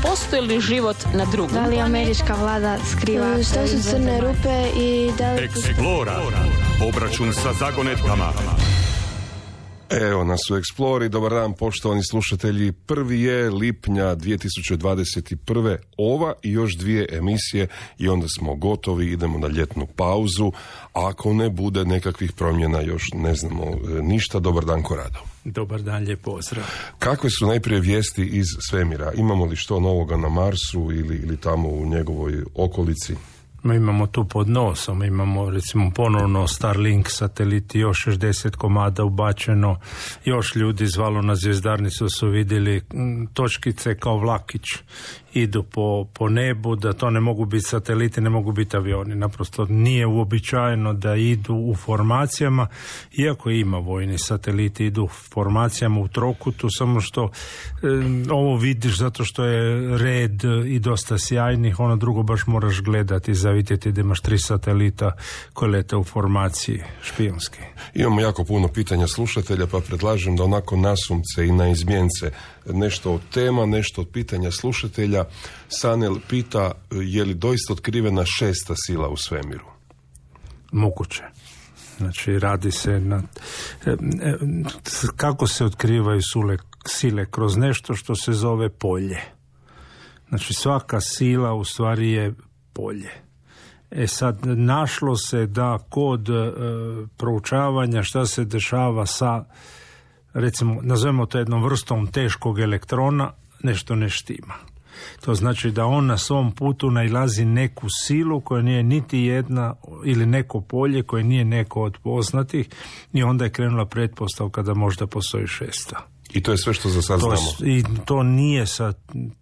postoji li život na drugom? Da li američka vlada skriva? Što su crne rupe i da li... Explora. Obračun sa zagonetkama. Evo nas u Explori. Dobar dan, poštovani slušatelji. 1. je lipnja 2021. Ova i još 2 emisije i onda smo gotovi, idemo na ljetnu pauzu. A ako ne bude nekakvih promjena, još ne znamo ništa. Dobar dan, Korado. Dobar dan, lijep pozdrav. Kakve su najprije vijesti iz svemira? Imamo li što novoga na Marsu ili tamo u njegovoj okolici? Mi imamo tu pod nosom, imamo recimo ponovno Starlink sateliti, još 60 komada ubačeno, još ljudi zvalo na zvjezdarnicu su vidjeli točkice kao vlakić idu po nebu, da to ne mogu biti sateliti, ne mogu biti avioni, naprosto nije uobičajeno da idu u formacijama, iako ima vojni sateliti, idu u formacijama u trokutu, samo što ovo vidiš zato što je red i dosta sjajnih, ono drugo baš moraš gledati za vidjeti da imaš 3 satelita koje lete u formaciji špijunski. Imamo jako puno pitanja slušatelja, pa predlažem da onako nasumce i na izmjence nešto od tema, nešto od pitanja slušatelja. Sanel pita, je li doista otkrivena 6. sila u svemiru? Moguće. Znači, radi se na... Kako se otkrivaju sile? Kroz nešto što se zove polje. Znači, svaka sila u stvari je polje. Sad, našlo se da kod proučavanja šta se dešava sa, recimo, nazovemo to jednom vrstom teškog elektrona, nešto ne štima. To znači da on na svom putu nailazi neku silu koja nije niti jedna ili neko polje koje nije neko od poznatih i onda je krenula pretpostavka da možda postoji 6. I to je sve što za sad znamo. I to nije sa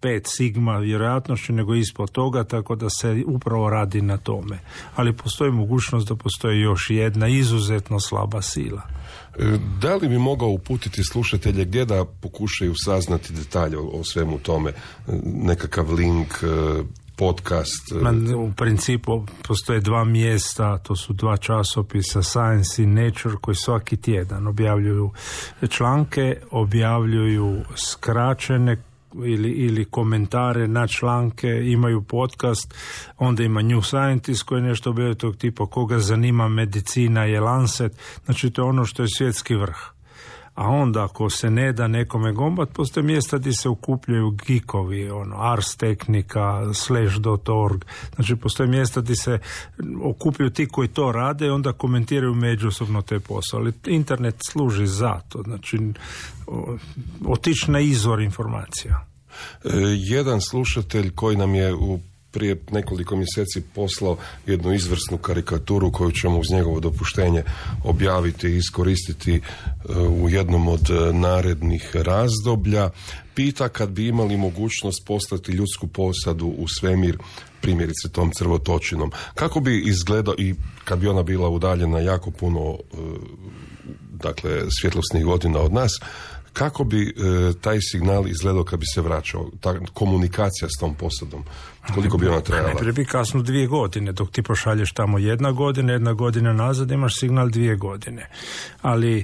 5 sigma vjerojatnošću, nego ispod toga, tako da se upravo radi na tome. Ali postoji mogućnost da postoji još jedna izuzetno slaba sila. Da li bi mogao uputiti slušatelje gdje da pokušaju saznati detalje o svemu tome? Nekakav link, podcast? U principu postoje 2 mjesta, to su 2 časopisa, Science i Nature, koji svaki tjedan objavljuju članke, objavljuju skraćene ili komentare na članke, imaju podcast, onda ima New Scientist koji nešto objavljuje tog tipa, koga zanima medicina je Lancet, znači to je ono što je svjetski vrh. A onda ako se ne da nekome gombat, postoje mjesta gdje se okupljaju geekovi, Ars Technica, /.org, znači postoje mjesta gdje se okupljaju ti koji to rade i onda komentiraju međusobno te posao. Ali internet služi za to, znači otići na izvor informacija. Jedan slušatelj koji nam je prije nekoliko mjeseci poslao jednu izvrsnu karikaturu koju ćemo uz njegovo dopuštenje objaviti i iskoristiti u jednom od narednih razdoblja. Pita kad bi imali mogućnost poslati ljudsku posadu u svemir, primjerice tom crvotočinom. Kako bi izgledao i kad bi ona bila udaljena jako puno svjetlosnih godina od nas, kako bi taj signal izgledao kad bi se vraćao, ta komunikacija s tom posadom, koliko bi ona trebala? Najprije bi kasno 2 godine, dok ti pošalješ tamo 1 godina nazad, imaš signal 2 godine. Ali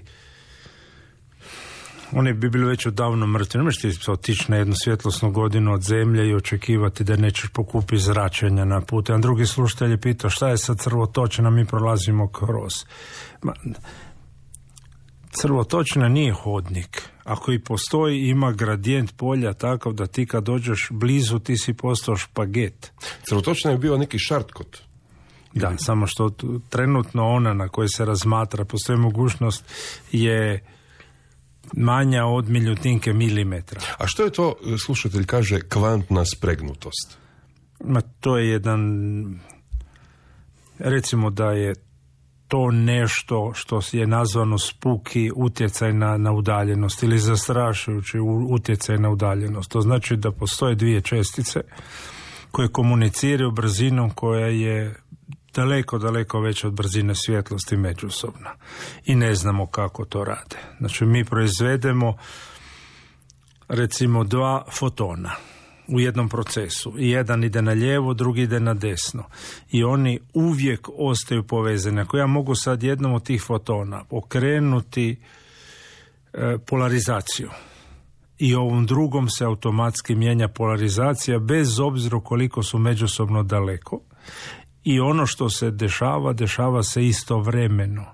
oni bi bili već odavno mrtvi. Ne možeš ti otići na 1 svjetlosnu godinu od zemlje i očekivati da nećeš pokupiti zračenja na putu. A drugi slušatelj je pitao šta je sa crvotočina, mi prolazimo kroz. Crvotočina nije hodnik. Ako i postoji, ima gradijent polja takav da ti kad dođeš blizu ti si postao špaget. Crvotočina je bio neki šartkot. Da, samo što trenutno ona na kojoj se razmatra, postoji mogućnost, je manja od miljutinke milimetra. A što je to, slušatelj kaže, kvantna spregnutost? To je jedan, recimo da je to nešto što je nazvano spuki utjecaj na udaljenost ili zastrašujući utjecaj na udaljenost. To znači da postoje 2 čestice koje komuniciraju brzinom koja je daleko veća od brzine svjetlosti međusobno. I ne znamo kako to rade. Znači mi proizvedemo recimo 2 fotona u jednom procesu. I jedan ide na lijevo, drugi ide na desno. I oni uvijek ostaju povezani. Ako ja mogu sad jednom od tih fotona okrenuti polarizaciju i ovom drugom se automatski mijenja polarizacija bez obzira koliko su međusobno daleko. I ono što se dešava se istovremeno.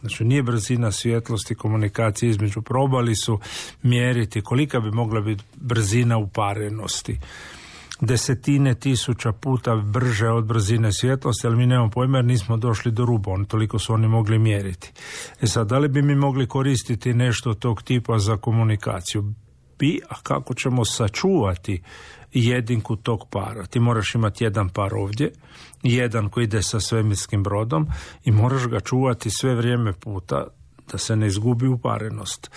Znači nije brzina svjetlosti komunikacije između, probali su mjeriti kolika bi mogla biti brzina uparenosti. 10.000 puta brže od brzine svjetlosti, ali mi nemamo pojma jer nismo došli do ruba, toliko su oni mogli mjeriti. Sad, da li bi mi mogli koristiti nešto tog tipa za komunikaciju? A kako ćemo sačuvati jedinku tog para? Ti moraš imati jedan par ovdje, jedan koji ide sa svemirskim brodom i moraš ga čuvati sve vrijeme puta da se ne izgubi uparenost.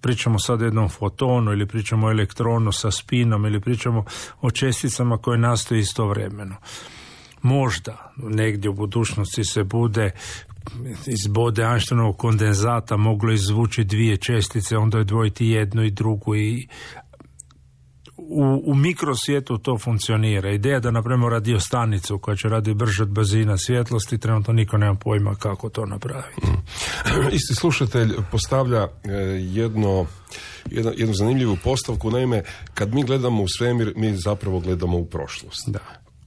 Pričamo sad o jednom fotonu ili pričamo o elektronu sa spinom ili pričamo o česticama koje nastoje istovremeno. Možda negdje u budućnosti se bude iz bode Einsteinovog kondenzata moglo izvući dvije čestice, onda odvojiti jednu i drugu i u mikrosvijetu to funkcionira. Ideja da napravimo radiostanicu koja će raditi brže od brzina svjetlosti, trenutno niko nema pojma kako to napraviti. Isti slušatelj postavlja jednu zanimljivu postavku, naime, kad mi gledamo u svemir, mi zapravo gledamo u prošlost. Da.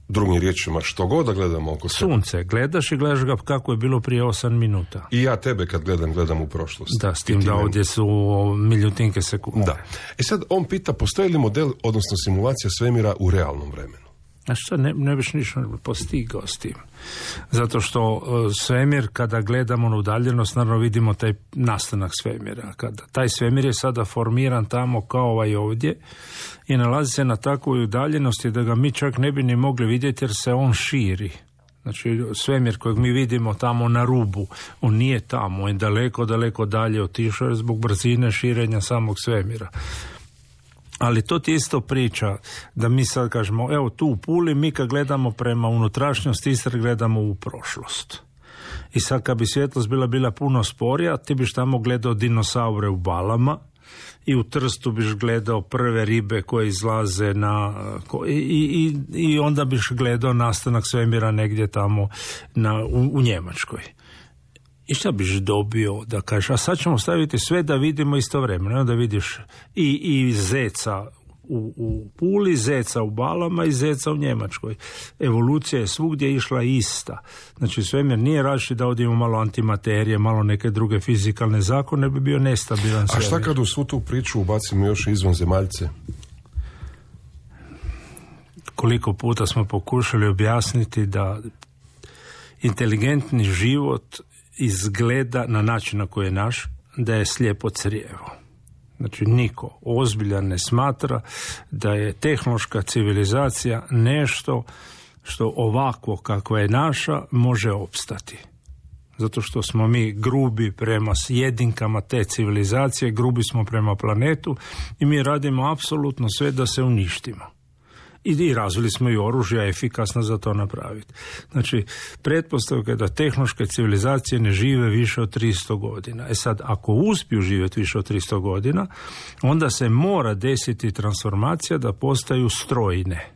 Drugim riječima, što god da gledamo oko sebe. Sunce, gledaš i gledaš ga kako je bilo prije 8 minuta. I ja tebe kad gledam u prošlost. Da, s tim da ovdje su miljutinke sekunde. Da. Sad on pita, postoji li model, odnosno simulacija svemira u realnom vremenu? A što ne biš ništa postigao s tim? Zato što svemir, kada gledamo na udaljenost, naravno vidimo taj nastanak svemira. Kada taj svemir je sada formiran tamo kao ovaj ovdje i nalazi se na takvoj udaljenosti da ga mi čak ne bi ni mogli vidjeti jer se on širi. Znači svemir kojeg mi vidimo tamo na rubu, on nije tamo, on je daleko dalje otišao zbog brzine širenja samog svemira. Ali to ti isto priča da mi sad kažemo, evo tu u Puli mi kad gledamo prema unutrašnjosti Istre gledamo u prošlost. I sad kad bi svjetlost bila puno sporija, ti biš tamo gledao dinosaure u balama i u Trstu biš gledao prve ribe koje izlaze i onda biš gledao nastanak svemira negdje tamo u Njemačkoj. I šta biš dobio da kažeš, a sad ćemo staviti sve da vidimo istovremeno, da vidiš i zeca u Puli, zeca u balama i zeca u Njemačkoj. Evolucija je svugdje išla ista. Znači svemir nije različit da ovdje imamo malo antimaterije, malo neke druge fizikalne zakone, bi bio nestabilan svemir. A šta kad u svu tu priču ubacimo još izvanzemaljce? Koliko puta smo pokušali objasniti da inteligentni život izgleda na način na koji je naš, da je slijepo crijevo. Znači niko ozbiljan ne smatra da je tehnološka civilizacija nešto što ovako kakva je naša može opstati. Zato što smo mi grubi prema jedinkama te civilizacije, grubi smo prema planetu i mi radimo apsolutno sve da se uništimo. I razvili smo i oružja efikasno za to napraviti. Znači, pretpostavka je da tehnološke civilizacije ne žive više od 300 godina. Sad, ako uspiju živjeti više od 300 godina, onda se mora desiti transformacija da postaju strojne.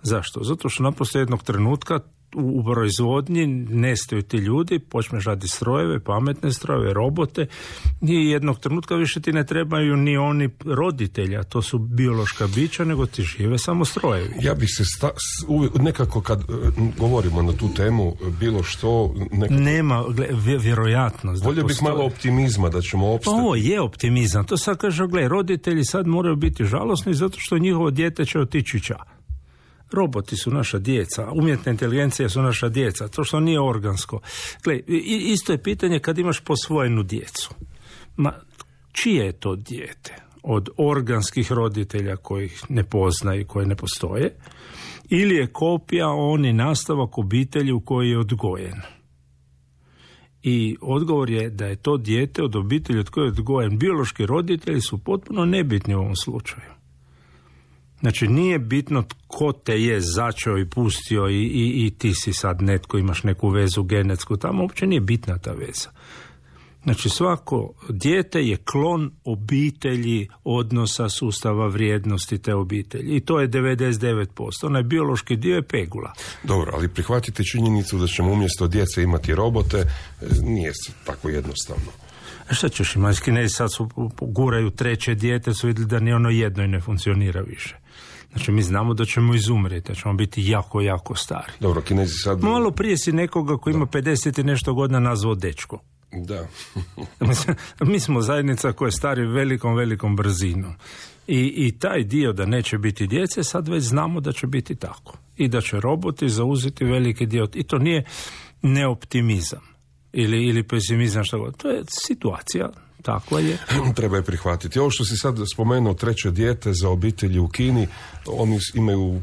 Zašto? Zato što naprosto jednog trenutka u proizvodnji nestaju ti ljudi, počneš raditi strojeve, pametne strojeve, robote i jednog trenutka više ti ne trebaju ni oni roditelja, to su biološka bića, nego ti žive samo strojevi. Ja bih se nekako kad govorimo na tu temu, bilo što... Nekako... Nema vjerojatnost. Volio bih malo optimizma da ćemo opstati. Ovo je optimizam, to sad kaže, roditelji sad moraju biti žalosni zato što njihovo dijete će otići ča. Roboti su naša djeca, umjetna inteligencija su naša djeca, to što nije organsko. Gle, isto je pitanje kad imaš posvojenu djecu. Čije je to dijete? Od organskih roditelja kojih ne poznaju, koji ne postoje, ili je kopija oni nastavak obitelji u kojoj je odgojen? I odgovor je da je to dijete od obitelji od koje je odgojen. Biološki roditelji su potpuno nebitni u ovom slučaju. Znači, nije bitno tko te je začeo i pustio i ti si sad netko, imaš neku vezu genetsku, tamo uopće nije bitna ta veza. Znači, svako dijete je klon obitelji, odnosa, sustava vrijednosti te obitelji. I to je 99%. Onaj biološki dio je pegula. Dobro, ali prihvatite činjenicu da ćemo umjesto djece imati robote, nije tako jednostavno. A šta ćeš ima? Kinezi sad guraju treće dijete, su vidjeli da ni ono jedno i ne funkcionira više. Znači mi znamo da ćemo izumreti, da ćemo biti jako, jako stari. Dobro, Kinezi sad... Malo prije si nekoga koji ima 50 i nešto godina nazvao dečko. Da. Mi smo zajednica koja je stari velikom brzinom. I taj dio da neće biti djece, sad već znamo da će biti tako. I da će roboti zauzeti veliki dio. I to nije neoptimizam ili pesimizam, što god. To je situacija. Tako je. Treba je prihvatiti. Ovo što si sad spomenuo, treće dijete za obitelji u Kini, oni imaju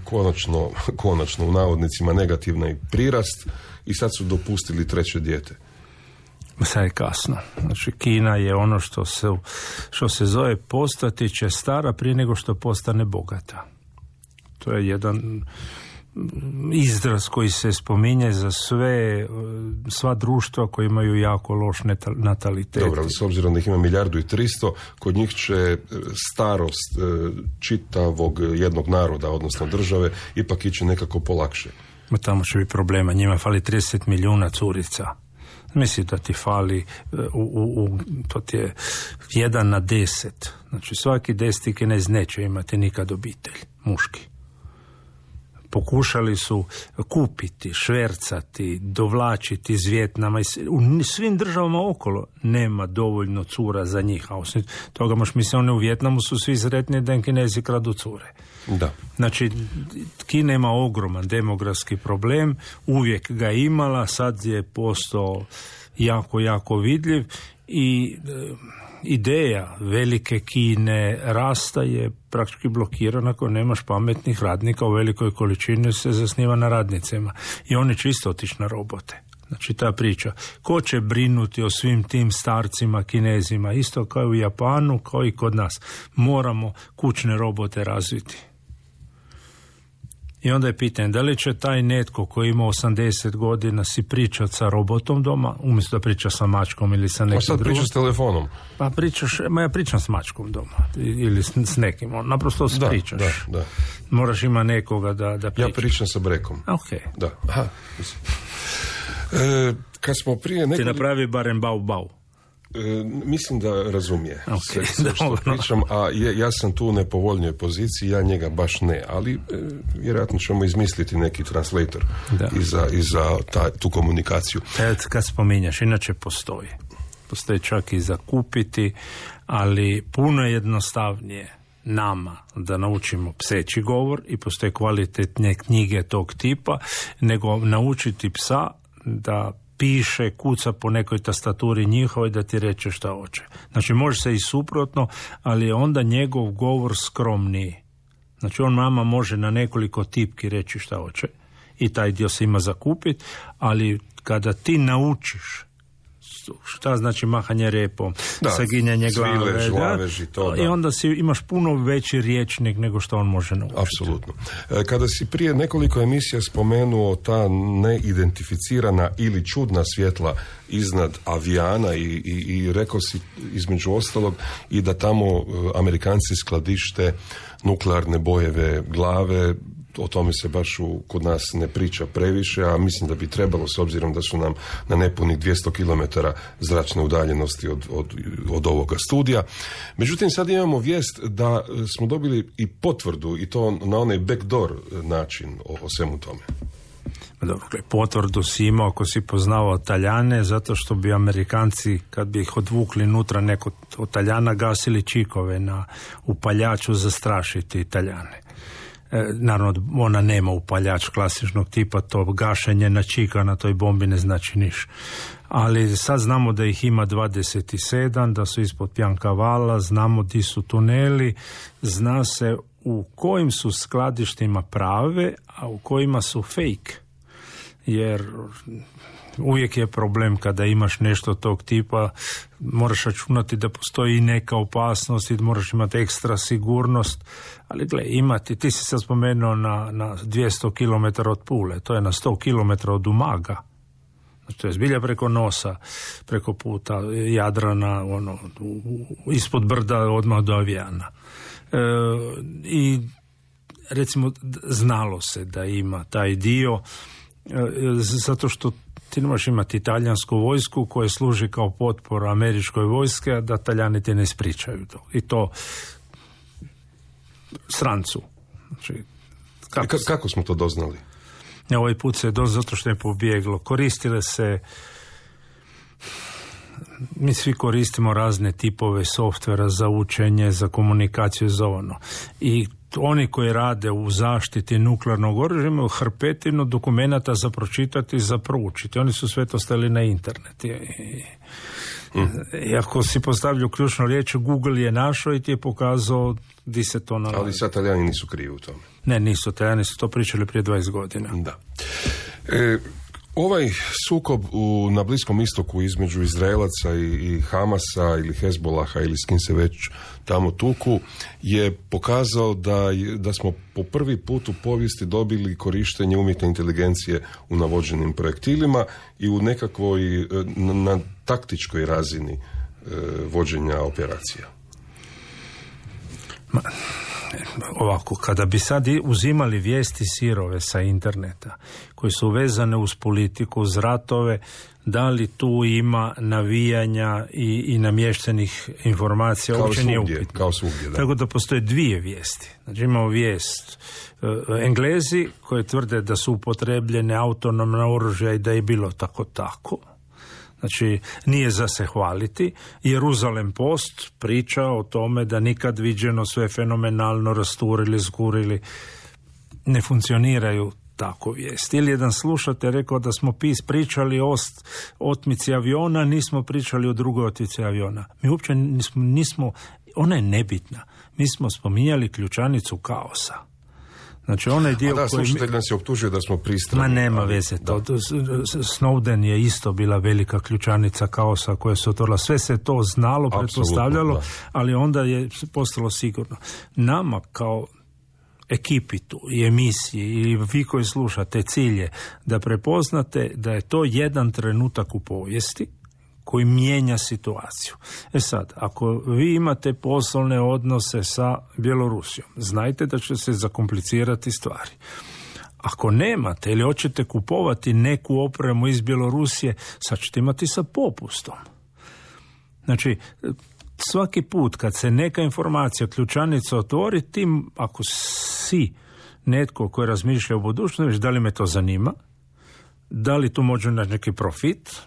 konačno u navodnicima negativni prirast i sad su dopustili treće dijete. Sad je kasno. Znači, Kina je ono što se zove postati će stara prije nego što postane bogata. To je jedan izraz koji se spominje za sva društva koji imaju jako loš natalitet. Dobro, ali s obzirom da ih ima 1.300.000, kod njih će starost čitavog jednog naroda, odnosno države, ipak ići nekako polakše. Tamo će biti problema. Njima fali 30 milijuna curica. Misli da ti fali, to ti je 1 na 10. Znači svaki 10 Kinez neće imati nikad obitelj, muški. Pokušali su kupiti, švercati, dovlačiti iz Vijetnama. U svim državama okolo nema dovoljno cura za njih. A osim toga, možeš misliti, one u Vijetnamu su svi sretni da im Kinezi kradu cure. Da. Znači, Kina ima ogroman demografski problem, uvijek ga imala, sad je postao jako vidljiv i ideja velike Kine rasta je praktički blokirana ako nemaš pametnih radnika u velikoj količini, se zasniva na radnicima i oni će isto otići na robote. Znači ta priča, ko će brinuti o svim tim starcima Kinezima, isto kao i u Japanu, kao i kod nas. Moramo kućne robote razviti. I onda je pitanje, da li će taj netko koji ima 80 godina si pričati sa robotom doma, umjesto da priča sa mačkom ili sa nekim drugom. Pa sad pričaš s telefonom. Pa ja pričam s mačkom doma ili s nekim, naprosto pričaš. Da. Moraš ima nekoga da pričaš. Ja pričam sa brekom. Ok. Da. Aha. Kad smo prije Ti napravi barem bau. Mislim da razumije sve što pričam, a ja sam tu u nepovoljnoj poziciji, ja njega baš ne, ali vjerojatno ćemo izmisliti neki translator i za tu komunikaciju. Kad spominjaš, inače postoji čak i za kupiti, ali puno je jednostavnije nama da naučimo pseći govor i postoje kvalitetne knjige tog tipa, nego naučiti psa da piše, kuca po nekoj tastaturi njihovoj da ti reče šta hoće. Znači može se i suprotno, ali je onda njegov govor skromniji. Znači on mama može na nekoliko tipki reći šta hoće i taj dio se ima zakupiti, ali kada ti naučiš šta znači mahanje repom, saginjanje glave, i onda imaš puno veći rječnik nego što on može naučiti. Apsolutno. Kada si prije nekoliko emisija spomenuo ta neidentificirana ili čudna svjetla iznad avijana i rekao si između ostalog i da tamo Amerikanci skladište nuklearne bojeve glave. O tome se baš kod nas ne priča previše, a mislim da bi trebalo, s obzirom da su nam na nepunih 200 km zračne udaljenosti od ovoga studija. Međutim, sad imamo vijest da smo dobili i potvrdu, i to na onaj backdoor način o svemu tome. Dobro, potvrdu si imao ako si poznavao Taljane, zato što bi Amerikanci, kad bi ih odvukli nutra neko od Taljana, gasili čikove na upaljaču zastrašiti Taljane. Naravno, ona nema upaljač klasičnog tipa, to gašenje na čika na toj bombi ne znači niš. Ali sad znamo da ih ima 27, da su ispod Pjankavala, znamo di su tuneli, zna se u kojim su skladištima prave, a u kojima su fake. Jer uvijek je problem kada imaš nešto tog tipa, moraš računati da postoji neka opasnost i moraš imati ekstra sigurnost, ali gle, ti si se spomenuo na 200 km od Pule, to je na 100 km od Umaga, znači to je zbilja preko nosa, preko puta Jadrana, ispod brda odmah do avijana. I recimo znalo se da ima taj dio, zato što Ti ne možeš imati talijansku vojsku koja služi kao potpora američkoj vojske, a da Talijani ti ne ispričaju to. I to strancu. Znači, kako smo to doznali? Ovaj put se zato što je pobjeglo. Koristile se, mi svi koristimo razne tipove softvera za učenje, za komunikaciju, za ono. I oni koji rade u zaštiti nuklearnog oružja imaju hrpetinu dokumenata za pročitati, za proučiti. Oni su sve to stavili na internet. I ako si postavljao ključnu riječ, Google je našao i ti je pokazao di se to nalazi. Ali sad Talijani nisu krivi u tome. Ne, nisu. Talijani su to pričali prije 20 godina. Da. Ovaj sukob na Bliskom istoku između Izraelaca i Hamasa ili Hezbolaha ili s kim se već tamo tuku je pokazao da smo po prvi put u povijesti dobili korištenje umjetne inteligencije u navođenim projektilima i u nekakvoj na taktičkoj razini vođenja operacija. Ovako, kada bi sad uzimali vijesti sirove sa interneta koji su vezane uz politiku, uz ratove, da li tu ima navijanja i namještenih informacija, uopće nije upitno. Kao svugdje, da. Tako da postoje dvije vijesti. Znači imamo vijest Englezi koji tvrde da su upotrebljene autonomna oružja i da je bilo tako. Znači, nije za se hvaliti. Jeruzalem Post priča o tome da nikad viđeno, sve fenomenalno rasturili, zgurili. Ne funkcioniraju tako vijesti. Ili jedan slušatelj rekao da smo pričali o otmici aviona, nismo pričali o drugoj otmici aviona. Mi uopće nismo, ona je nebitna. Mi smo spominjali ključanicu kaosa. Znači onaj dio koji... slušatelj nas je optužio da smo pristrani. Ma nema veze to. Snowden je isto bila velika ključanica kaosa koja se otvorila. Sve se to znalo, pretpostavljalo, ali onda je postalo sigurno. Nama kao ekipi tu i emisiji i vi koji slušate, cilj je da prepoznate da je to jedan trenutak u povijesti koji mijenja situaciju. Sad, ako vi imate poslovne odnose sa Bjelorusijom, znajte da će se zakomplicirati stvari. Ako nemate ili hoćete kupovati neku opremu iz Bjelorusije, sad ćete imati sa popustom. Znači, svaki put kad se neka informacija, ključanica otvori, tim ako si netko koji razmišlja o budućnosti, da li me to zanima, da li tu može naći neki profit,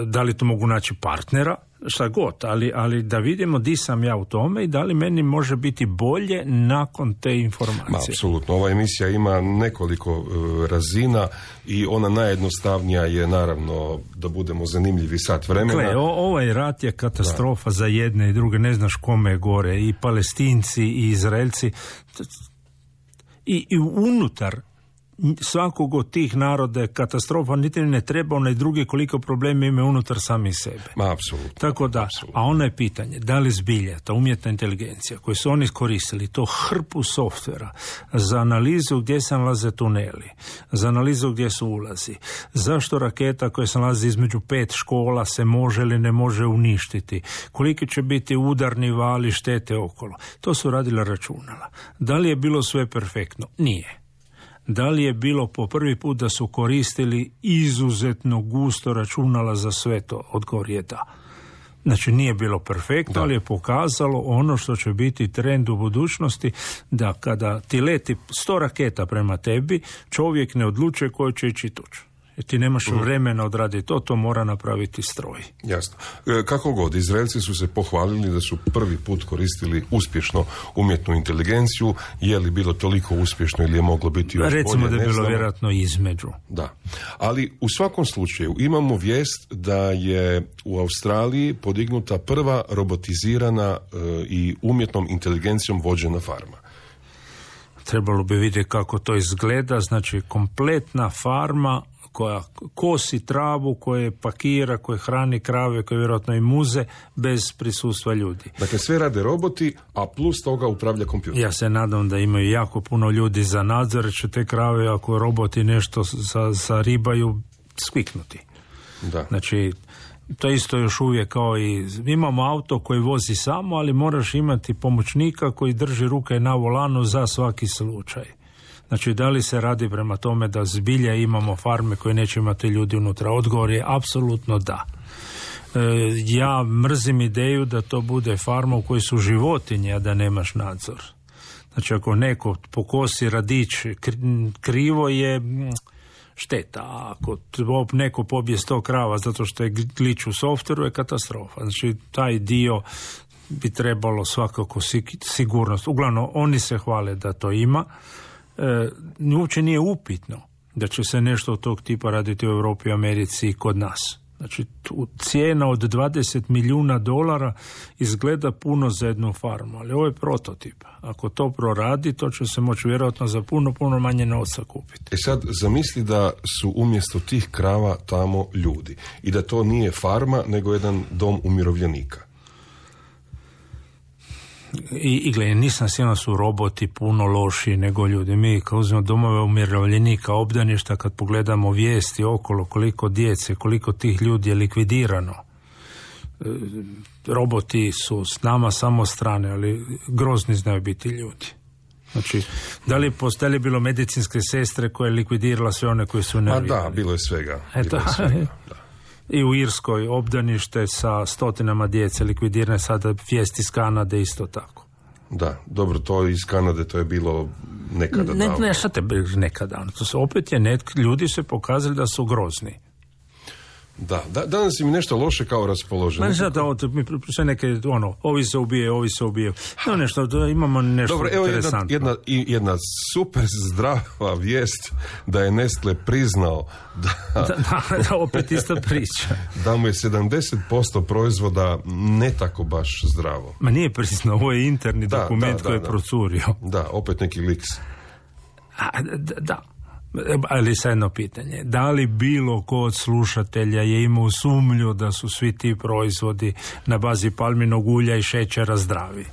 da li tu mogu naći partnera, šta god, ali da vidimo di sam ja u tome i da li meni može biti bolje nakon te informacije. Apsolutno, ova emisija ima nekoliko razina i ona najjednostavnija je naravno da budemo zanimljivi sat vremena. Ovaj rat je katastrofa za jedne i druge, ne znaš kome je gore, i Palestinci i Izraelci i unutar svakog od tih naroda je katastrofa, niti ne treba onaj drugi koliko problema ima unutar sami sebe. Apsolutno. Tako da, a ono je pitanje, da li zbilja ta umjetna inteligencija koju su oni koristili, to hrpu softvera za analizu gdje se nalaze tuneli, za analizu gdje su ulazi, zašto raketa koja se nalazi između 5 škola se može ili ne može uništiti, koliki će biti udarni vali štete okolo. To su radila računala. Da li je bilo sve perfektno? Nije. Da li je bilo po prvi put da su koristili izuzetno gusto računala za sve to? Odgovor je da. Znači nije bilo perfektno, ali je pokazalo ono što će biti trend u budućnosti, da kada ti leti 100 raketa prema tebi, čovjek ne odlučuje koji će ići tuđ. Jer ti nemaš vremena odraditi to mora napraviti stroj. Jasno. Kako god, Izraelci su se pohvalili da su prvi put koristili uspješno umjetnu inteligenciju. Je li bilo toliko uspješno ili je moglo biti još bolje? Recimo da je bilo vjerojatno između. Da. Ali u svakom slučaju imamo vijest da je u Australiji podignuta prva robotizirana i umjetnom inteligencijom vođena farma. Trebalo bi vidjeti kako to izgleda. Znači kompletna farma koja kosi travu, koje pakira, koje hrani krave, koje vjerojatno i muze, bez prisustva ljudi. Dakle, sve rade roboti, a plus toga upravlja kompjuter. Ja se nadam da imaju jako puno ljudi za nadzor, će te krave, ako roboti nešto zaribaju, skviknuti. Da. Znači, to isto još uvijek kao i imamo auto koji vozi samo, ali moraš imati pomoćnika koji drži ruke na volanu za svaki slučaj. Znači, da li se radi prema tome da zbilja imamo farme koje neće imati ljudi unutra? Odgovor je apsolutno da. Ja mrzim ideju da to bude farma u kojoj su životinje, a da nemaš nadzor. Znači, ako neko pokosi radić krivo je šteta, a ako neko pobije 100 krava zato što je glitch u softveru je katastrofa. Znači, taj dio bi trebalo svakako sigurnost. Uglavnom, oni se hvale da to ima. Uopće nije upitno da će se nešto od tog tipa raditi u Europi, Americi i kod nas. Znači, cijena od $20 milijuna izgleda puno za jednu farmu, ali ovo je prototip. Ako to proradi, to će se moći vjerojatno za puno manje novca kupiti. Sad, zamisli da su umjesto tih krava tamo ljudi i da to nije farma, nego jedan dom umirovljenika. I gledaj, nisam siguran su roboti puno lošiji nego ljudi. Mi kad uzmemo domove umirovljenika, obdaništa, kad pogledamo vijesti okolo, koliko djece, koliko tih ljudi je likvidirano. Roboti su s nama samo strane, ali grozni znaju biti ljudi. Znači, da li postali bilo medicinske sestre koje je likvidirala sve one koje su nervirali? Da, bilo je svega. I u Irskoj obdanište sa stotinama djece likvidirane, sada vijesti iz Kanade isto tako. Da, dobro, to iz Kanade to je bilo nekada davno. Ne, šta te nekada? To se opet je ljudi se pokazali da su grozni. Da, danas im nešto loše kao raspoloženje. Sve neke, ovi se ubije. No, nešto, imamo nešto dobro, evo interesantno. Jedna super zdrava vijest da je Nestle priznao da opet ista priča. Da mu je 70% proizvoda ne tako baš zdravo. Ma nije priznao, ovo je interni dokument koji je procurio. Da, opet neki liks. Da. Ali sad jedno pitanje, da li bilo ko od slušatelja je imao sumnju da su svi ti proizvodi na bazi palminog ulja i šećera zdravi?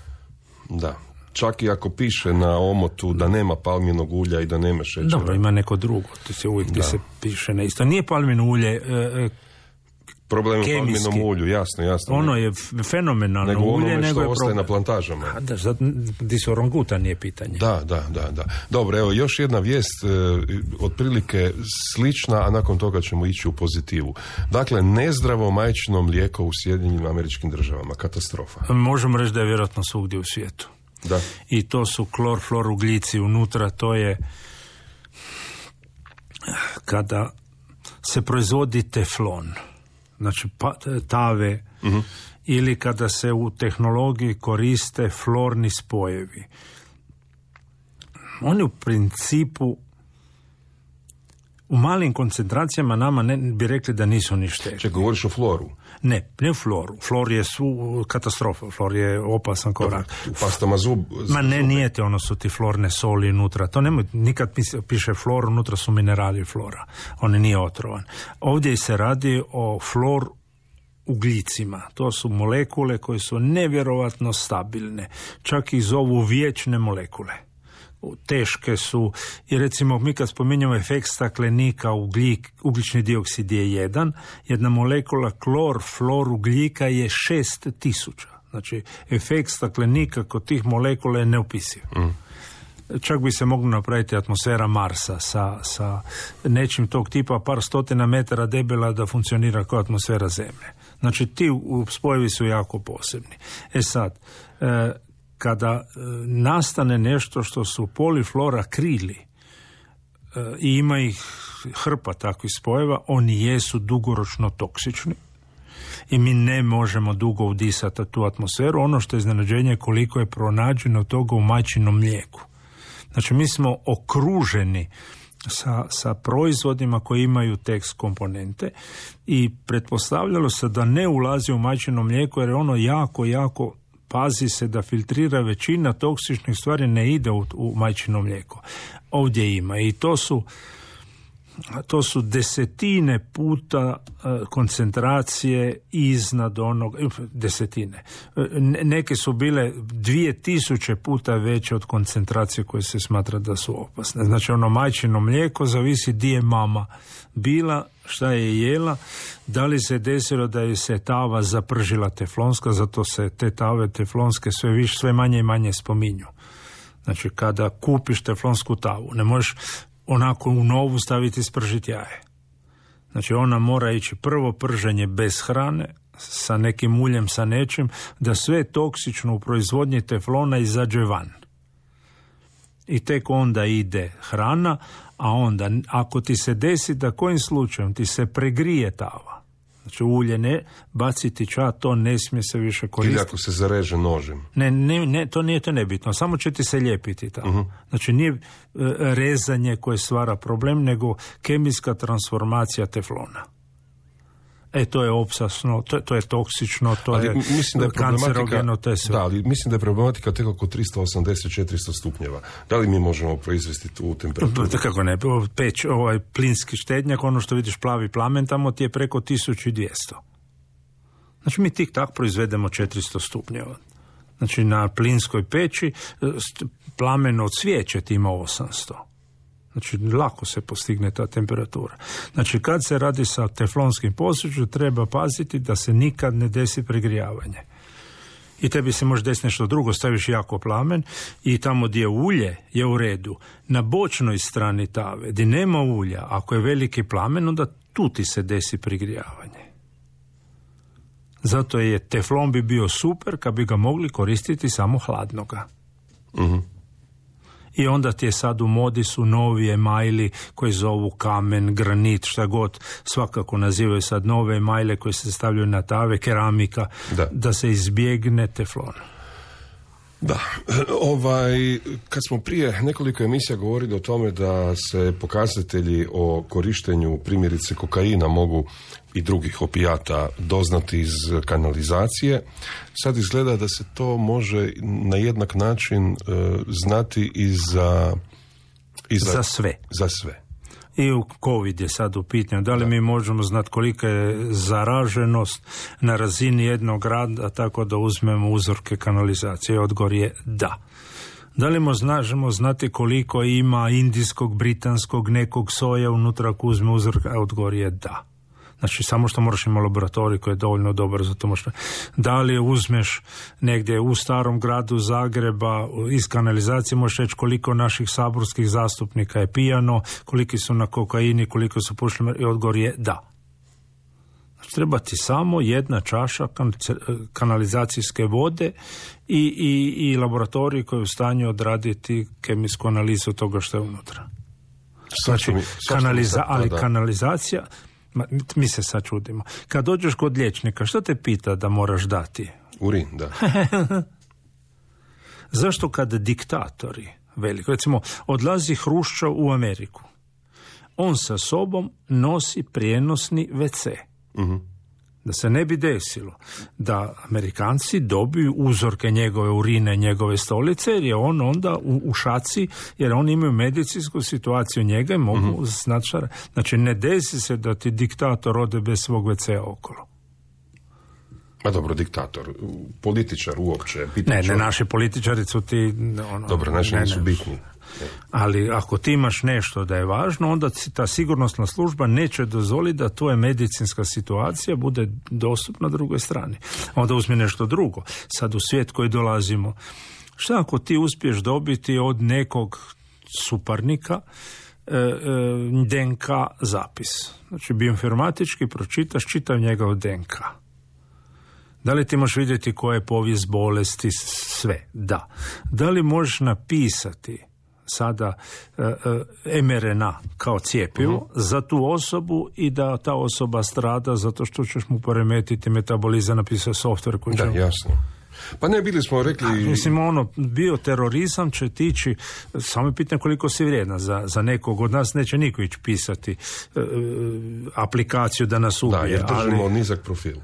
Da, čak i ako piše na omotu da nema palminog ulja i da nema šećera. Dobro, ima neko drugo, to se uvijek ti se piše na isto. Nije palmino ulje problem u palminom ulju, jasno. Ono je fenomenalno ulje, nego je ostaje na plantažama. Di se orangutan nije pitanje. Da. Dobro, evo još jedna vijest, otprilike slična, a nakon toga ćemo ići u pozitivu. Dakle, nezdravo majčino mlijeko u Sjedinjenim Američkim Državama, katastrofa. Možemo reći da je vjerojatno svugdje u svijetu. Da. I to su klorfluoroglici unutra, to je kada se proizvodi teflon, znači tave, ili kada se u tehnologiji koriste florni spojevi. Oni u principu u malim koncentracijama nama ne bi rekli da nisu ni štetni. Čekaj, govoriš o floru? Ne floru. Flor je katastrofa, flor je opasan kao rak. U pastama zub. Ma ne, nije te, ono su ti florne soli unutra. To nemoj, nikad piše flor, unutra su minerali flora. On nije otrovan. Ovdje se radi o flor ugljicima. To su molekule koje su nevjerovatno stabilne. Čak ih zovu vječne molekule. Teške su, i recimo mi kad spominjamo efekt staklenika, ugljični dioksid je 1, jedna molekula flor ugljika je 6000. Znači, efekt staklenika kod tih molekula je neopisiv. Čak bi se moglo napraviti atmosfera Marsa sa nečim tog tipa, par stotina metara debela, da funkcionira kao atmosfera Zemlje. Znači, ti spojevi su jako posebni. Sad, kada nastane nešto što su polifluoroakrili i ima ih hrpa takvih spojeva, oni jesu dugoročno toksični i mi ne možemo dugo udisati tu atmosferu. Ono što je iznenađenje koliko je pronađeno toga u majčinom mlijeku. Znači, mi smo okruženi sa proizvodima koji imaju tekst komponente i pretpostavljalo se da ne ulazi u majčino mlijeko jer je ono jako pazi se da filtrira, većina toksičnih stvari ne ide u majčino mlijeko. Ovdje ima i to su desetine puta koncentracije iznad onog, desetine. Neke su bile 2000 puta veće od koncentracije koje se smatra da su opasne. Znači, ono majčino mlijeko zavisi di je mama bila, šta je jela, da li se desilo da je se tava zapržila teflonska, zato se te tave teflonske sve manje i manje spominju. Znači, kada kupiš teflonsku tavu, ne možeš onako u novu staviti spržiti jaje. Znači, ona mora ići prvo prženje bez hrane, sa nekim uljem, sa nečim, da sve toksično u proizvodnji teflona izađe van. I tek onda ide hrana, a onda, ako ti se desi da kojim slučajem ti se pregrije tava, znači ulje ne baciti to ne smije se više koristiti. Ili ako se zareže nožem. Ne, to nije to nebitno, samo će ti se lijepiti tamo. Znači nije rezanje koje stvara problem, nego kemijska transformacija teflona. To je opasno, to je toksično, to je kancerogeno, to je sve. Da, ali mislim da je problematika tek oko 380-400 stupnjeva. Da li mi možemo proizvesti tu temperaturu? Kako ne, peć, plinski štednjak, ono što vidiš plavi plamen, tamo ti je preko 1200. Znači mi tik tak proizvedemo 400 stupnjeva. Znači na plinskoj peći plamen od svijeće ti ima 800. Znači, lako se postigne ta temperatura. Znači, kad se radi sa teflonskim posuđem, treba paziti da se nikad ne desi pregrijavanje. I tebi se može desiti nešto drugo, staviš jako plamen i tamo gdje ulje je u redu. Na bočnoj strani tave, gdje nema ulja, ako je veliki plamen, onda tu ti se desi pregrijavanje. Zato je teflon bi bio super kad bi ga mogli koristiti samo hladnoga. I onda ti je sad u modi su novi emajli koji zovu kamen, granit, šta god, svakako nazivaju sad nove emajle koje se stavljaju na tave, keramika, da se izbjegne teflon. Da, kad smo prije nekoliko emisija govorili o tome da se pokazatelji o korištenju primjerice kokaina mogu i drugih opijata doznati iz kanalizacije, sad izgleda da se to može na jednak način znati i za sve. Za sve. I u COVID je sad u pitanju. Da li mi možemo znati kolika je zaraženost na razini jednog grada tako da uzmemo uzorke kanalizacije? Odgovor je da. Da li možemo znati koliko ima indijskog, britanskog, nekog soja unutra ako uzme uzorke? Odgovor je da. Znači, samo što moraš imati laboratorij koji je dovoljno dobar za to. Da li uzmeš negdje u starom gradu Zagreba iz kanalizacije, možeš reći koliko naših saborskih zastupnika je pijano, koliki su na kokaini, koliko su pušili, i odgovor je da. Znači, treba ti samo jedna čaša kanalizacijske vode i laboratorij koji je u stanju odraditi kemijsku analizu toga što je unutra. Znači, kanalizacija, mi se sad čudimo. Kad dođeš kod liječnika, što te pita da moraš dati? Urin, da. Zašto kad diktatori veliko, recimo, odlazi Hruščov u Ameriku, on sa sobom nosi prijenosni WC. Da se ne bi desilo da Amerikanci dobiju uzorke njegove urine, njegove stolice, jer je on onda u šaci, jer oni imaju medicinsku situaciju njega i mogu znati. Znači, ne desi se da ti diktator ode bez svog WC-a okolo. Ma dobro, diktator, političar uopće. Ne, naši političari su ti... Dobro, naši nisu bitni. Ali ako ti imaš nešto da je važno, onda ta sigurnosna služba neće dozvoliti da tvoja medicinska situacija bude dostupna drugoj strani. Onda uzmi nešto drugo. Sad u svijet koji dolazimo, šta ako ti uspiješ dobiti od nekog suparnika DNK zapis? Znači, bioinformatički pročitaš čitav njegov DNK. Da li ti možeš vidjeti koja je povijest bolesti, sve? Da. Da li možeš napisati sada mRNA kao cjepivo za tu osobu i da ta osoba strada zato što ćeš mu poremetiti metabolizam, napisao software koji će... Da, jasno. Pa ne, bili smo rekli... Mislim, bioterorizam će tići, samo je pitanje koliko si vrijedna. Za nekog od nas neće niko ići pisati aplikaciju da nas ubije. Da, jer držimo nizak profil.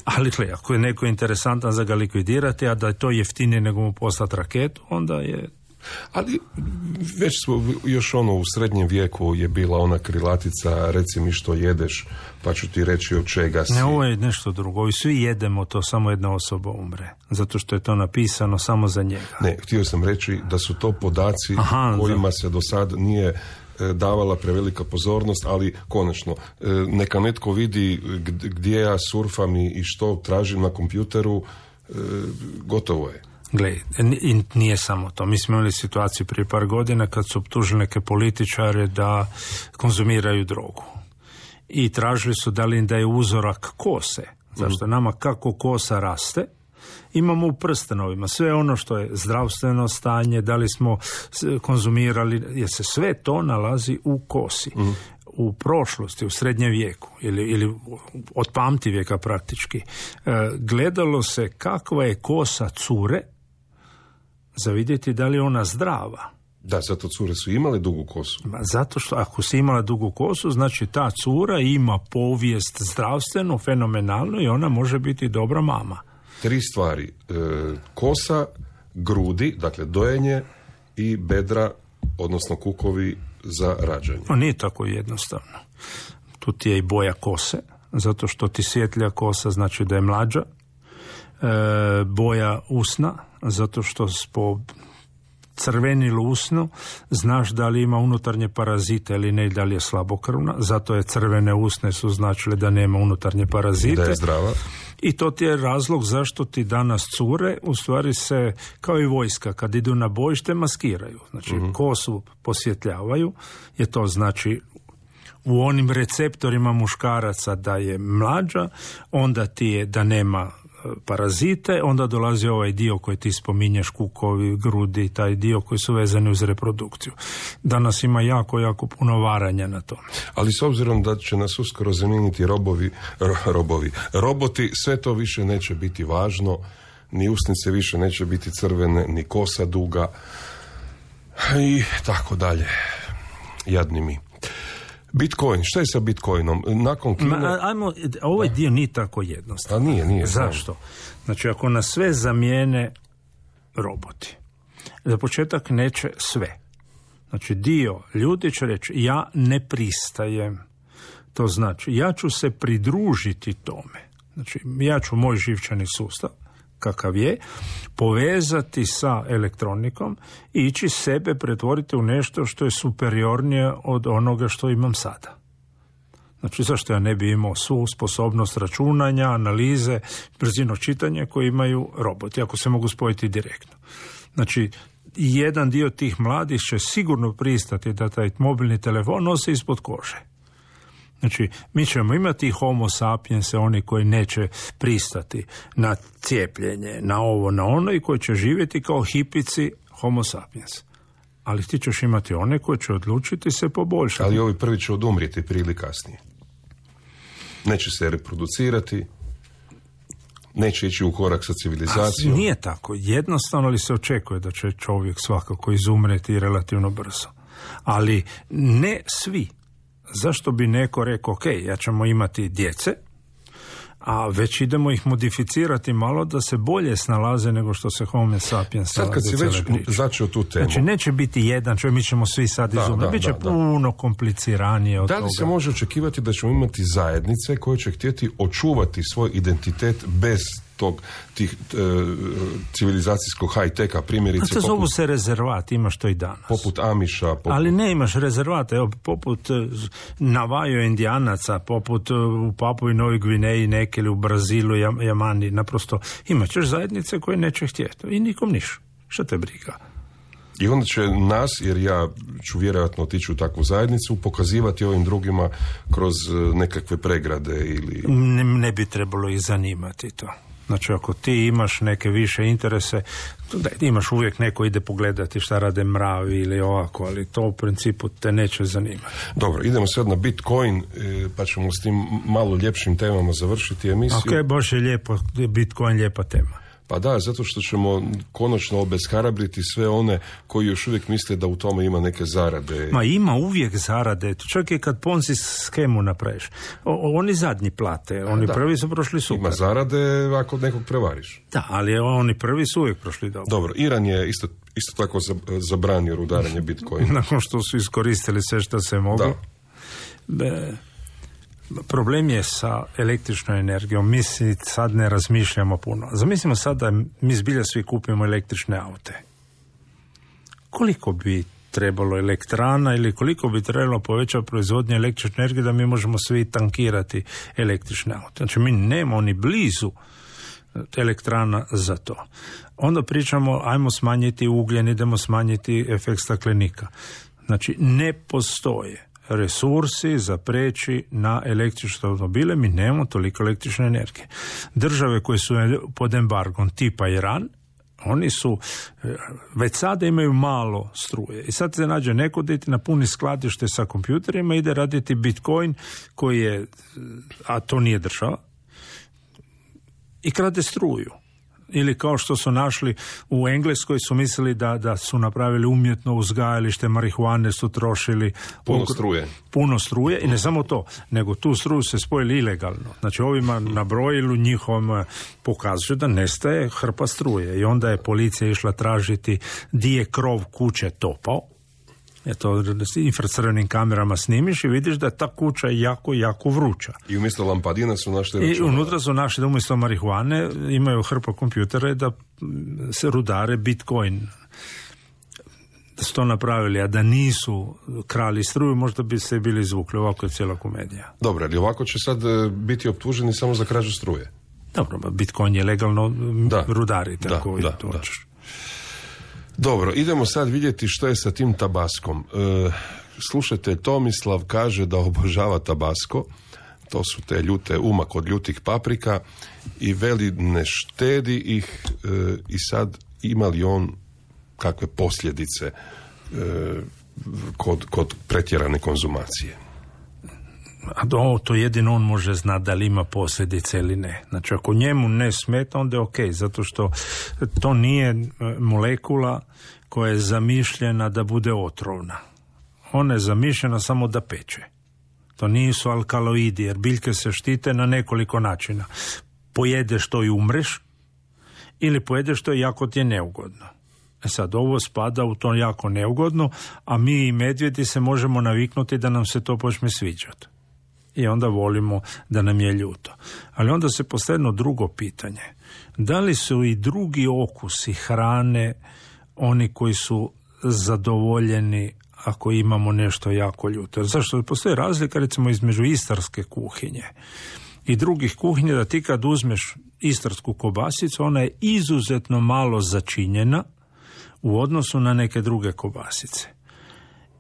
Ali ako je neko interesantan za ga likvidirati, a da je to jeftinije nego mu poslati raketu, onda je... Ali već smo još u srednjem vijeku je bila ona krilatica, reci mi što jedeš, pa ću ti reći od čega si. Ne, ovo je nešto drugo. I svi jedemo to, samo jedna osoba umre. Zato što je to napisano samo za njega. Ne, htio sam reći da su to podaci kojima se do sad nije davala prevelika pozornost, ali konačno, neka netko vidi gdje ja surfam i što tražim na kompjuteru, gotovo je. Gle, nije samo to. Mi smo imali situaciju prije par godina kad su optužili neke političare da konzumiraju drogu. I tražili su da li im daje uzorak kose. Zašto nama kako kosa raste, imamo u prstenovima sve ono što je zdravstveno stanje, da li smo konzumirali, jer se sve to nalazi u kosi. U prošlosti, u srednjem vijeku ili od pamtivijeka praktički, gledalo se kakva je kosa cure za vidjeti da li je ona zdrava. Da, zato cure su imale dugu kosu. Zato što ako si imala dugu kosu, znači ta cura ima povijest zdravstvenu, fenomenalnu i ona može biti dobra mama. 3 stvari. Kosa, grudi, dakle dojenje i bedra, odnosno kukovi za rađanje. Nije tako jednostavno. Tu ti je i boja kose, zato što ti svjetlja kosa znači da je mlađa. Boja usna, zato što po crvenilu usnu znaš da li ima unutarnje parazite ili ne, da li je slabokrvna, zato je crvene usne su značile da nema unutarnje parazite. Da je zdrava. I to ti je razlog zašto ti danas cure, u stvari se, kao i vojska, kad idu na bojište, maskiraju. Znači, kosu posvjetljavaju, jer to znači u onim receptorima muškaraca da je mlađa, onda ti je da nema parazite, onda dolazi ovaj dio koji ti spominješ, kukovi, grudi, taj dio koji su vezani uz reprodukciju. Danas ima jako puno varanja na tome. Ali s obzirom da će nas uskoro zamijeniti roboti, sve to više neće biti važno, ni usnice više neće biti crvene, ni kosa duga i tako dalje. Jadni mi. Bitcoin, šta je sa Bitcoinom? Nakon Kine... Ovaj dio nije tako jednostavno. Nije. Zašto? Znači, ako nas sve zamijene roboti, za početak neće sve. Znači, dio ljudi će reći, ja ne pristajem. To znači, ja ću se pridružiti tome. Znači, ja ću moj živčani sustav, kakav je, povezati sa elektronikom i ići sebe pretvoriti u nešto što je superiornije od onoga što imam sada. Znači, zašto ja ne bi imao svu sposobnost računanja, analize, brzino čitanja koje imaju roboti, ako se mogu spojiti direktno. Znači, jedan dio tih mladih će sigurno pristati da taj mobilni telefon nosi ispod kože. Znači, mi ćemo imati homo sapiense, oni koji neće pristati na cijepljenje, na ovo, na ono i koji će živjeti kao hipici homo sapiens. Ali ti ćeš imati one koji će odlučiti se poboljšati. Ali ovi prvi će odumrijeti prije ili kasnije. Neće se reproducirati, neće ići u korak sa civilizacijom. Nije tako. Jednostavno li se očekuje da će čovjek svakako izumreti relativno brzo. Ali ne svi. Zašto bi neko rekao, ok, ja ćemo imati djece, a već idemo ih modificirati malo da se bolje snalaze nego što se homo sapiens snalaze. Sad kad si već začeo tu temu. Znači, neće biti jedan čovjek, mi ćemo svi sad izumreti. Biće puno kompliciranije od toga. Da li se može očekivati da ćemo imati zajednice koje će htjeti očuvati svoj identitet bez tih civilizacijskog high-teka, primjerice... To zovu se rezervat, imaš to i danas. Poput Amiša. Ali ne imaš rezervate, poput Navajo Indijanaca, poput u Papui i Novoj Gvineji, neke ili u Brazilu, Jamani, naprosto imat ćeš zajednice koje neće htjeti i nikom niš. Šta te briga? I onda će nas, jer ja ću vjerojatno otići u takvu zajednicu, pokazivati ovim drugima kroz nekakve pregrade ili... Ne bi trebalo ih zanimati to. Znači, ako ti imaš neke više interese, da imaš uvijek neko ide pogledati šta rade mravi ili ovako, ali to u principu te neće zanimati. Dobro, idemo sad na Bitcoin, pa ćemo s tim malo ljepšim temama završiti emisiju. Ok, baš je lijepo, Bitcoin lijepa tema. Pa da, zato što ćemo konačno obeshrabriti sve one koji još uvijek misle da u tome ima neke zarade. Ma ima uvijek zarade, čak i kad Ponzi schemu napraviš. Oni zadnji plate, oni prvi su prošli super. Ima zarade ako nekog prevariš. Da, ali oni prvi su uvijek prošli dobro. Dobro, Iran je isto tako zabranio rudarenje Bitcoina. Nakon što su iskoristili sve što se mogu. Problem je sa električnom energijom. Mi sad ne razmišljamo puno. Zamislimo sad da mi zbilja svi kupimo električne aute. Koliko bi trebalo elektrana ili koliko bi trebalo povećati proizvodnje električne energije da mi možemo svi tankirati električne aute? Znači, mi nemamo ni blizu elektrana za to. Onda pričamo, ajmo smanjiti ugljen, idemo smanjiti efekt staklenika. Znači, ne postoje resursi za preći na električne automobile, mi nemamo toliko električne energije. Države koje su pod embargom tipa Iran, oni su, već sada imaju malo struje. I sad se nađe neko da iti napuni skladište sa kompjuterima, ide raditi Bitcoin koji je, a to nije država, i krade struju. Ili kao što su našli u Engleskoj, su mislili da su napravili umjetno uzgajalište marihuane, su trošili puno struje i ne samo to, nego tu struju se spojili ilegalno. Znači ovima na brojilu njihovom pokazuju da nestaje hrpa struje i onda je policija išla tražiti di je krov kuće topao. To infracrvenim kamerama snimiš i vidiš da je ta kuća jako vruća. I umjesto lampadina su našli računala. I unutra su našli da umjesto marihuane imaju hrpa kompjutere da se rudare Bitcoin. Da su to napravili, a da nisu krali struju, možda bi se bili izvukli. Ovako je cijela komedija. Dobro, ali ovako će sad biti optuženi samo za krađu struje. Dobro, Bitcoin je legalno rudariti. Da. Dobro, idemo sad vidjeti što je sa tim tabaskom. Slušajte, Tomislav kaže da obožava tabasko, to su te ljute umak od ljutih paprika i veli ne štedi ih i sad ima li on kakve posljedice kod pretjerane konzumacije? A to jedino on može znati da li ima posljedice ili ne. Znači ako njemu ne smeta, onda je ok, zato što to nije molekula koja je zamišljena da bude otrovna. Ona je zamišljena samo da peče. To nisu alkaloidi, jer biljke se štite na nekoliko načina. Pojedeš to i umreš, ili pojedeš to i jako ti je neugodno. Sad, ovo spada u to jako neugodno, a mi i medvjedi se možemo naviknuti da nam se to počne sviđati. I onda volimo da nam je ljuto. Ali onda se postavlja drugo pitanje. Da li su i drugi okusi hrane oni koji su zadovoljeni ako imamo nešto jako ljuto? Zašto? Postoji razlika recimo između istarske kuhinje i drugih kuhinja, da ti kad uzmeš istarsku kobasicu, ona je izuzetno malo začinjena u odnosu na neke druge kobasice.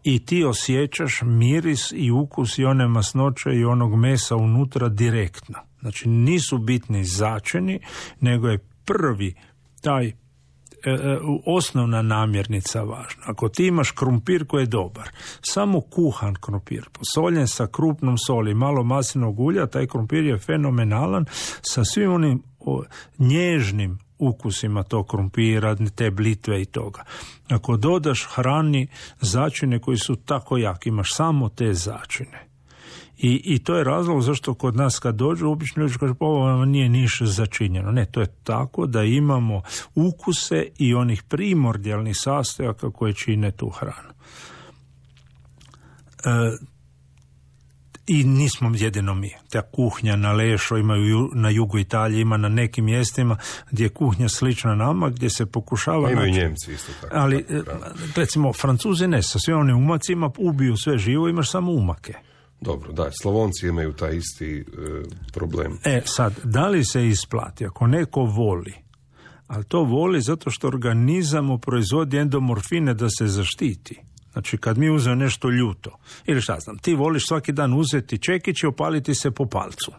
I ti osjećaš miris i ukus i one masnoće i onog mesa unutra direktno. Znači nisu bitni začini, nego je prvi taj osnovna namirnica važna. Ako ti imaš krumpir koji je dobar, samo kuhan krumpir, posoljen sa krupnom soli, malo maslinovog ulja, taj krumpir je fenomenalan sa svim onim nježnim ukusima tog krumpira, te blitve i toga. Ako dodaš hrani začine koji su tako jaki, imaš samo te začine. I to je razlog zašto kod nas kad dođu, obično ljudi kažu, ovo nije ništa začinjeno. Ne, to je tako da imamo ukuse i onih primordijalnih sastojaka koje čine tu hranu. I nismo jedino mi. Ta kuhnja na Lešo imaju na jugu Italije, ima na nekim mjestima gdje je kuhnja slična nama, gdje se pokušava... Imaju Njemci isto tako. Ali, recimo, Francuzi ne, sa svim onim umacima ubiju sve živo, imaš samo umake. Dobro, da, Slavonci imaju taj isti problem. Sad, da li se isplati? Ako neko voli, ali to voli zato što organizam proizvodi endomorfine da se zaštiti. Znači, kad mi uzeo nešto ljuto, ili šta znam, ti voliš svaki dan uzeti čekić i opaliti se po palcu.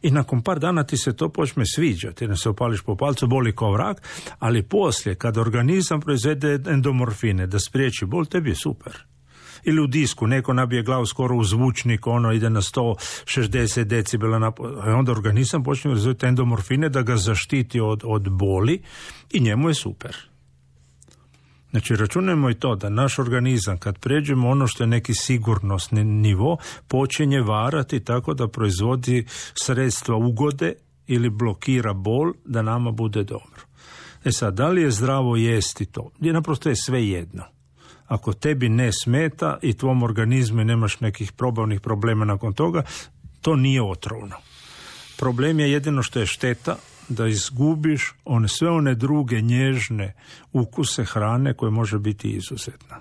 I nakon par dana ti se to počne sviđati, jer se opališ po palcu, boli kao vrag, ali poslije, kad organizam proizvede endomorfine da spriječi bol, tebi je super. Ili u disku, neko nabije glavu skoro u zvučnik, ono ide na 160 decibela, onda organizam počne proizvoditi endomorfine da ga zaštiti od boli i njemu je super. Znači, računajmo i to da naš organizam, kad pređemo ono što je neki sigurnosni nivo, počinje varati tako da proizvodi sredstva ugode ili blokira bol da nama bude dobro. Sad, da li je zdravo jesti to? Naprosto je sve jedno. Ako tebi ne smeta i tvom organizmu i nemaš nekih probavnih problema nakon toga, to nije otrovno. Problem je jedino što je šteta da izgubiš sve one druge nježne ukuse hrane koje može biti izuzetna.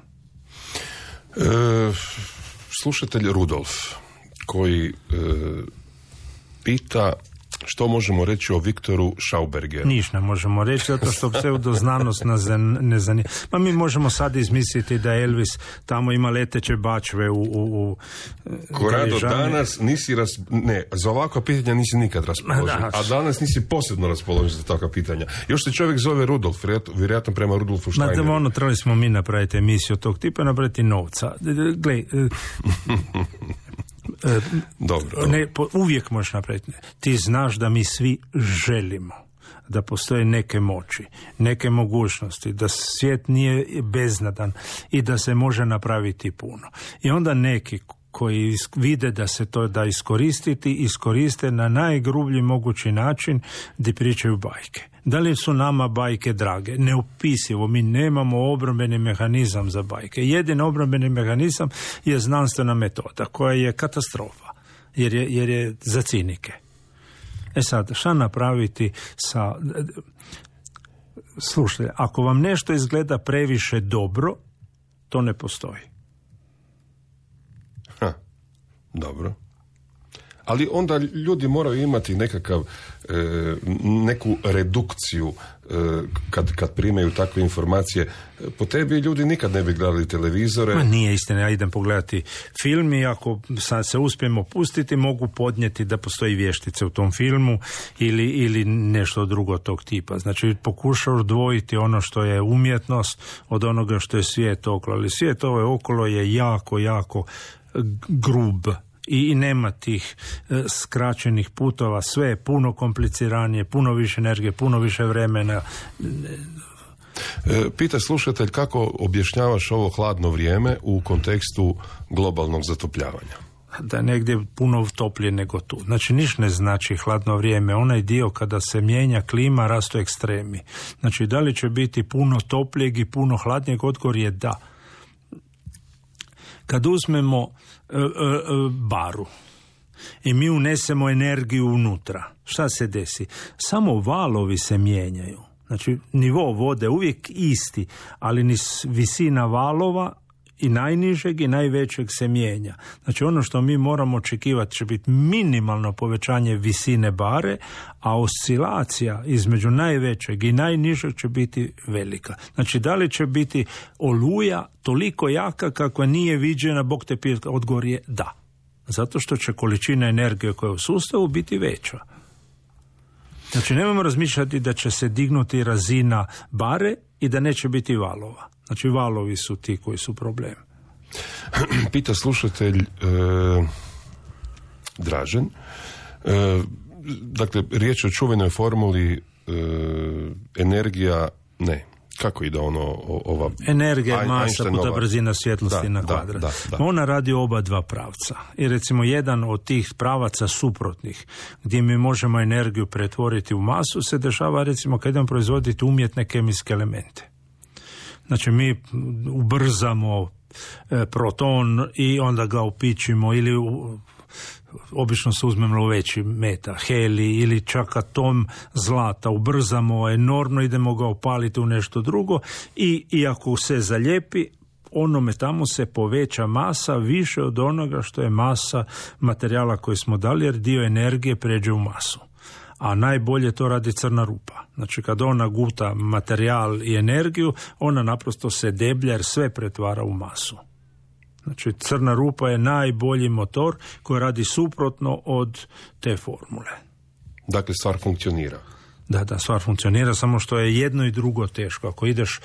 Slušatelj Rudolf koji pita Što možemo reći o Viktoru Schaubergeru? Ništa možemo reći, zato što pseudoznanost nas ne zanima. Ma mi možemo sad izmisliti da Elvis tamo ima leteće bačve u Korado, danas nisi za ovakva pitanja nisi nikad raspoložen, a danas nisi posebno raspoložen za takva pitanja. Još se čovjek zove Rudolf, vjerojatno prema Rudolfu Steineru. Trebali smo mi napraviti emisiju tog tipa, napraviti novca. Gle, dobro. Uvijek možeš napraviti. Ti znaš da mi svi želimo da postoje neke moći, neke mogućnosti, da svijet nije beznadan i da se može napraviti puno. I onda neki koji vide da se to da iskoriste na najgrublji mogući način gdje pričaju bajke. Da li su nama bajke drage? Neopisivo, mi nemamo obrambeni mehanizam za bajke. Jedini obrambeni mehanizam je znanstvena metoda koja je katastrofa, jer je za cinike. Sad, šta napraviti sa... Slušajte, ako vam nešto izgleda previše dobro, to ne postoji. Dobro. Ali onda ljudi moraju imati neku redukciju kad primaju takve informacije. Po tebi ljudi nikad ne bi gledali televizore. Ma nije istina, ja idem pogledati film i ako se uspijemo pustiti, mogu podnijeti da postoji vještice u tom filmu ili nešto drugo tog tipa. Znači pokušao odvojiti ono što je umjetnost od onoga što je svijet okolo. Ali svijet okolo je jako, jako grub. I nema tih skraćenih putova, sve je puno kompliciranije, puno više energije, puno više vremena. Pita slušatelj, kako objašnjavaš ovo hladno vrijeme u kontekstu globalnog zatopljavanja? Da je negdje puno toplije nego tu. Znači, ništa ne znači hladno vrijeme. Onaj dio kada se mijenja klima, rastu ekstremi. Znači, da li će biti puno toplijeg i puno hladnijeg, odgovor je da. Kad uzmemo baru i mi unesemo energiju unutra, šta se desi? Samo valovi se mijenjaju. Znači, nivo vode uvijek isti, ali ni visina valova i najnižeg i najvećeg se mijenja. Znači, ono što mi moramo očekivati će biti minimalno povećanje visine bare, a oscilacija između najvećeg i najnižeg će biti velika. Znači, da li će biti oluja toliko jaka kakva nije viđena, Bog te pije, odgovor je da. Zato što će količina energije koja je u sustavu biti veća. Znači, nemojmo razmišljati da će se dignuti razina bare i da neće biti valova. Znači, valovi su ti koji su problem. Pita slušatelj Dražen. Dakle, riječ o čuvenoj formuli energija, ne. Kako ide ova... Energija je masa puta brzina svjetlosti na kvadrat. Da. Ona radi oba dva pravca. I recimo jedan od tih pravaca suprotnih, gdje mi možemo energiju pretvoriti u masu, se dešava recimo kad idemo proizvoditi umjetne kemijske elemente. Znači mi ubrzamo proton i onda ga upičimo ili obično se uzmemo veći meta, heli ili čak atom zlata, ubrzamo enormno, idemo ga opaliti u nešto drugo i ako se zalijepi, onome tamo se poveća masa više od onoga što je masa materijala koji smo dali, jer dio energije pređe u masu. A najbolje to radi crna rupa. Znači kad ona guta materijal i energiju, ona naprosto se deblja jer sve pretvara u masu. Znači crna rupa je najbolji motor koji radi suprotno od te formule. Dakle, stvar funkcionira. Da, stvar funkcionira, samo što je jedno i drugo teško. Ako ideš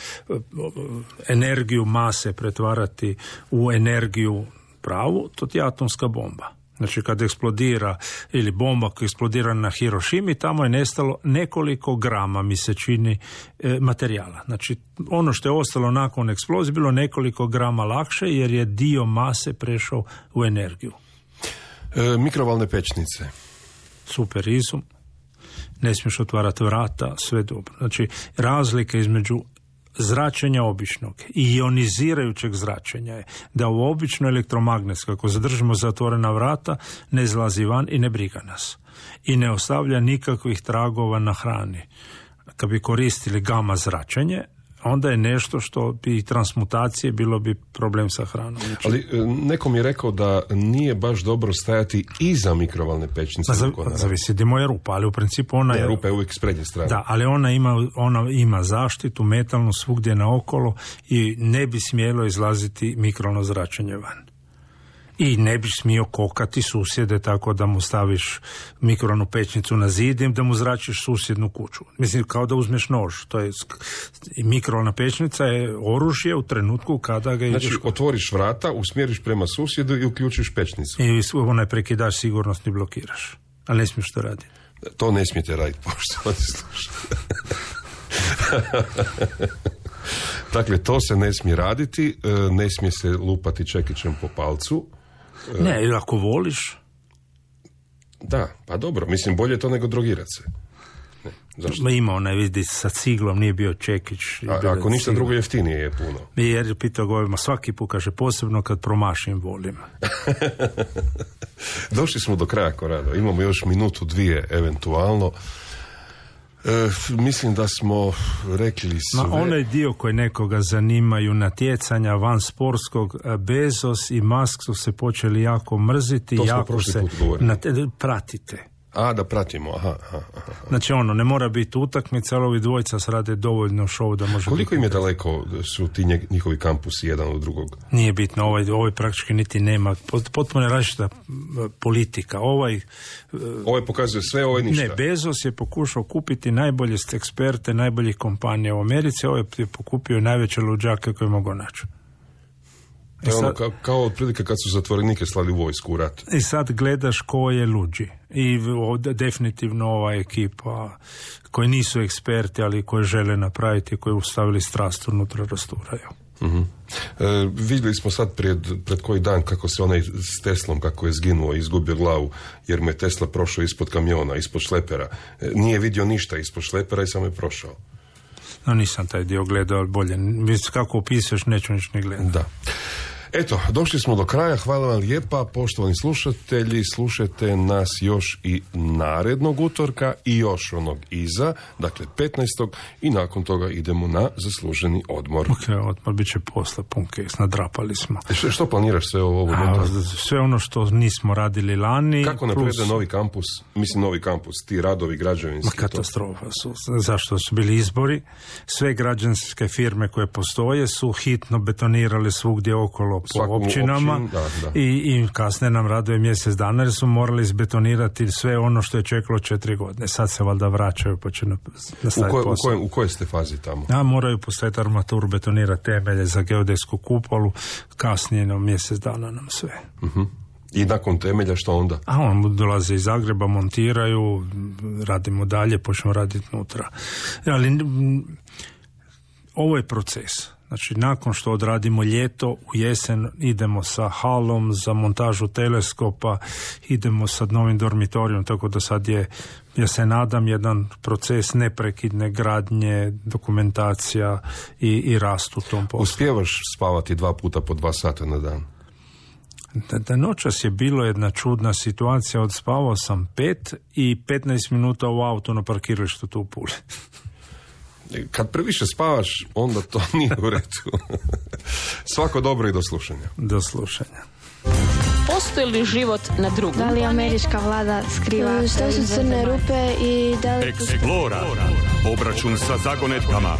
energiju mase pretvarati u energiju pravu, to ti je atomska bomba. Znači kad eksplodira ili bomba koja eksplodira na Hirošimi, tamo je nestalo nekoliko grama, mi se čini, materijala. Znači ono što je ostalo nakon eksplozije bilo nekoliko grama lakše jer je dio mase prešao u energiju. Mikrovalne pećnice. Super izum. Ne smiješ otvarati vrata, sve dobro. Znači razlika između zračenja običnog i ionizirajućeg zračenja je da u obično elektromagnetsko, ako zadržimo zatvorena vrata, ne izlazi van i ne briga nas. I ne ostavlja nikakvih tragova na hrani. Kad bi koristili gama zračenje, onda je nešto što bi transmutacije bilo bi problem sa hranom. Ali neko mi je rekao da nije baš dobro stajati iza mikrovalne pećnice. Zavisi gdje moja rupa, ali u principu ona je... Rupa je uvijek s prednje strane. Da, ali ona ima zaštitu metalnu svugdje naokolo i ne bi smjelo izlaziti mikrovalno zračenje van. I ne bi smio kokati susjede tako da mu staviš mikrovalnu pećnicu na zid i da mu zračiš susjednu kuću. Mislim, kao da uzmeš nož. To je, mikrovalna pećnica je oružje u trenutku kada ga ideš... Znači, otvoriš vrata, usmjeriš prema susjedu i uključiš pećnicu. I onaj prekidaš sigurnosni blokiraš. Ali ne smiješ to raditi. To ne smijete raditi, poštovani slušatelji. Dakle, to se ne smije raditi, ne smije se lupati čekićem po palcu. Ne, ako voliš. Da, pa dobro, mislim, bolje to nego drogirati se. Ne, zašto? Ima onaj, vidi, sa ciglom nije bio čekić. Ako ništa drugo, jeftinije je puno. Jer je pitao govima, svaki put kaže, posebno kad promašim volim. Došli smo do kraja, Korado. Imamo još minutu, dvije, eventualno. Mislim da smo rekli sve. Onaj dio koji nekoga zanimaju natjecanja van sportskog, Bezos i Musk su se počeli jako mrziti. To smo jako prošli se put govorili. Pratite. Da pratimo, aha. Znači ne mora biti utakmica, ali ovi dvojica se rade dovoljno show da može... Koliko im je daleko su ti njihovi kampusi jedan od drugog? Nije bitno, ovaj praktički niti nema, potpuno je različita politika. Ovaj pokazuje sve, ovaj ništa. Ne, Bezos je pokušao kupiti najbolje eksperte, najboljih kompanija u Americi, ovaj je pokupio najveće luđake koje mogu naći. To je ono kao otprilike kad su zatvorenike slali u vojsku u rat. I sad gledaš ko je luđi. I definitivno ova ekipa koji nisu eksperti, ali koji žele napraviti, koji ustavili strast unutra rasturaju. Uh-huh. Vidjeli smo sad pred koji dan kako se onaj s Teslom, kako je zginuo i izgubio glavu, jer mu je Tesla prošao ispod kamiona, ispod šlepera. Nije vidio ništa ispod šlepera i samo je prošao. No, nisam taj dio gledao, ali bolje. Kako opisuješ, neću nič ne gledati. Da. Eto, došli smo do kraja. Hvala vam lijepa, poštovani slušatelji. Slušajte nas još i narednog utorka i još onog iza, dakle 15. i nakon toga idemo na zasluženi odmor. Odmor bit će posle punkes, nadrapali smo. Što planiraš sve ovo? Sve ono što nismo radili lani. Kako napreduje novi kampus? Mislim, novi kampus, ti radovi građevinski. Katastrofa su. Zašto su bili izbori? Sve građanske firme koje postoje su hitno betonirale svugdje okolo po općinama i kasnije nam raduje mjesec dana jer su morali izbetonirati sve ono što je čekalo 4 godine. Sad se valjda vraćaju pa će nastaviti posao. U kojoj ste fazi tamo? Moraju postaviti armaturu, betonirati temelje za geodetsku kupolu, kasnije na mjesec dana nam sve. Uh-huh. I nakon temelja što onda? On dolaze iz Zagreba, montiraju, radimo dalje, počnemo raditi unutra. Ali ovo je proces. Znači, nakon što odradimo ljeto, u jesen idemo sa halom za montažu teleskopa, idemo sa novim dormitorijom, tako da sad je, ja se nadam, jedan proces neprekidne gradnje, dokumentacija i rast u tom poslu. Uspijevaš spavati 2 puta po 2 sata na dan? Da noćas je bilo jedna čudna situacija, odspavao sam 5 i 15 minuta u auto na parkiralištu tu u Puli. Kad previše spavaš, onda to nije u redu. Svako dobro i do slušanja. Do slušanja. Postoji li život na drugom? Da li američka vlada skriva što su crne rupe i da li... Explora. Obračun sa zagonetkama.